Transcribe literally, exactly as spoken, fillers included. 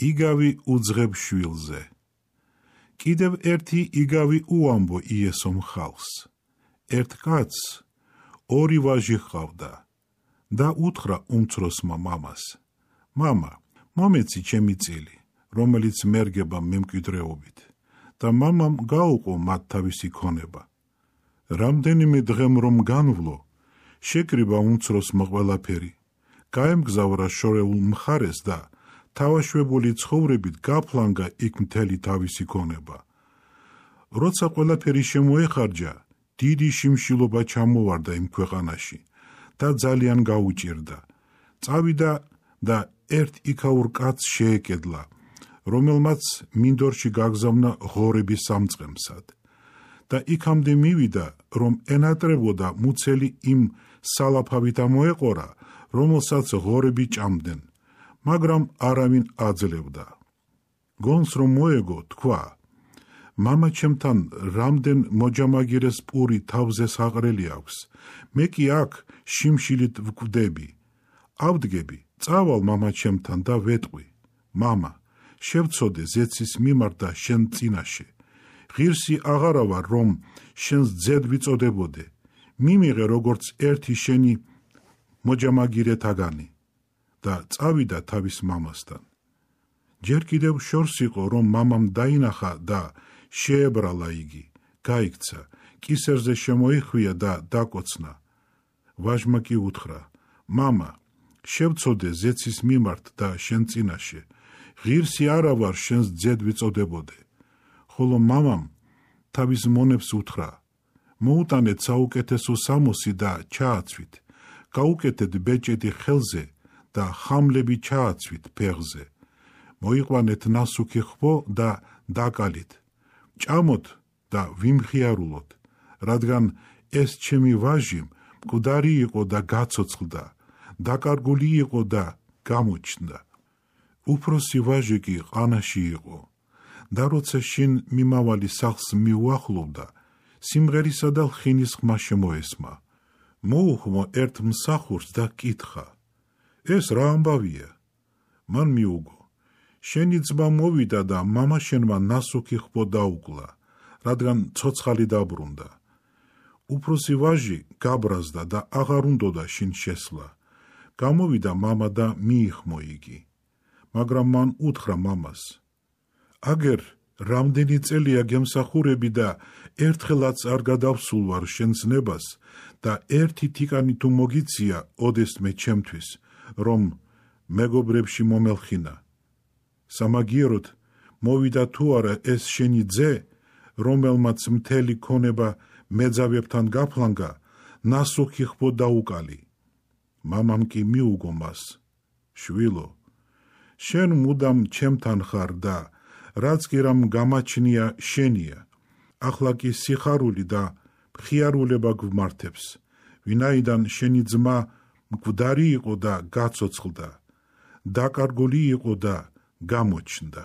იგავი უძღებ შვილზე. კიდევ ერთი იგავი უამბო იესომ ხალხს. ერთ კაცს ორი ვაჟი ჰყავდა და უთხრა უმცროსმა მამას: მამა, მომეცი ჩემი წილი, რომელიც მერგება მემკვიდრეობით. და მამამ გაუყო მათ თავისი ქონება. რამდენიმე დღემ რომ განვლო, შეკრიბა უმცროსმა ყველაფერი, გაემგზავრა შორეულ მხარეს და თავაშვებული ცხოვრებით გაფლანგა იქ მთელი თავისი ქონება. როცა ყველაფერი შემოეხარჯა, დიდი შიმშილობა ჩამოვარდა იმ ქვეყანაში და ძალიან გაუჭირდა. წავიდა და ერთ იქაურ კაცს შეეკედლა, რომელმაც მინდორში გაგზავნა ღორები სამწყემსად. და იქამდე მივიდა, რომ ენატრებოდა მუცელი იმ სალაფავით ამოეყორა, რომელსაც ღორები ჭამდნენ, მაგრამ არავინ აძლევდა. გონს რომ მოეგო, თქვა: მამა ჩემთან რამდენ მოჯამაგირეს პური თავზე საყრელი აქვს, მე კი აქ შიმშილით ვკვდები. ავდგები, წავალ მამა ჩემთან და ვეტყვი: მამა, შევცოდე ზეცის მიმართ და შენ წინაშე. ღირსი აღარა ვარ, რომ შენს ძედ ვიწოდებოდე. მიმიღე როგორც ერთი შენი მოჯამაგირეთაგანი. და წავიდა თავის მამასთან. ჯერ კიდევ შორს იყო, რომ მამამ დაინახა და შეებრალა იგი, გაიქცა, კისერზე შემოიხვია და დაკოცნა. ვაჟმა კი უთხრა: მამა, შევცოდე ზეცის მიმართ და შენ წინაშე. ღირსი არა ვარ შენს ძედ ვიწოდებოდე. ხოლო მამამ თავის მონებს უთხრა: მოუტანეთ საუკეთესო სამოსი და ჩააცვით, გაუკეთეთ ბეჭედი ხელზე და ხამლები ჩააცვით ფეხზე. მოიყვანეთ ნასუქი ხბო და დაკალით. ჭამოთ და ვიმხიარულოთ, რადგან ეს ჩემი ვაჟი მკვდარი იყო და გაცოცხლდა, დაკარგული იყო და გამოჩნდა. უფროსი ვაჟი კი ყანაში იყო. და როცა შინ მიმავალი სახლს მიუახლოვდა, სიმღერისა და ლხინის ხმა შემოესმა. მოუხმო ერთ მსახურს და კითხა: ეს რა ამბავია? მან მიუგო: შენი ძმა მოვიდა და მამა შენმა ნასუქი ხბო დაუკლა, რადგან ცოცხალი დაბრუნდა. უფროსი ვაჟი გაბრაზდა და აღარ უნდოდა შინ შესვლა. გამოვიდა მამა და მიიხმო იგი. მაგრამ მან უთხრა მამას: აგერ რამდენი წელია გემსახურები და ერთხელაც არ გადავსულ ვარ შენ ზნებას და ერთი თიკანი თუ მოგიცია ოდესმე ჩემთვის, რომ მეგობრებში მომელხინა. სამაგიეროდ მოვიდა თუ არა ეს შენი ძე, რომელმაც მთელი ქონება მეძავებთან გაფლანგა, ნასუქი ხბო დაუკალი. მამამ კი მიუგო მას: შვილო, შენ მუდამ ჩემთან ხარ და რაც კი რამ გამაჩნია შენია. ახლა კი სიხარული და მხიარულება გვმართებს, ვინაიდან შენი ძმა მკვდარი იყო და გაცოცხლდა, დაკარგული იყო და გამოჩნდა.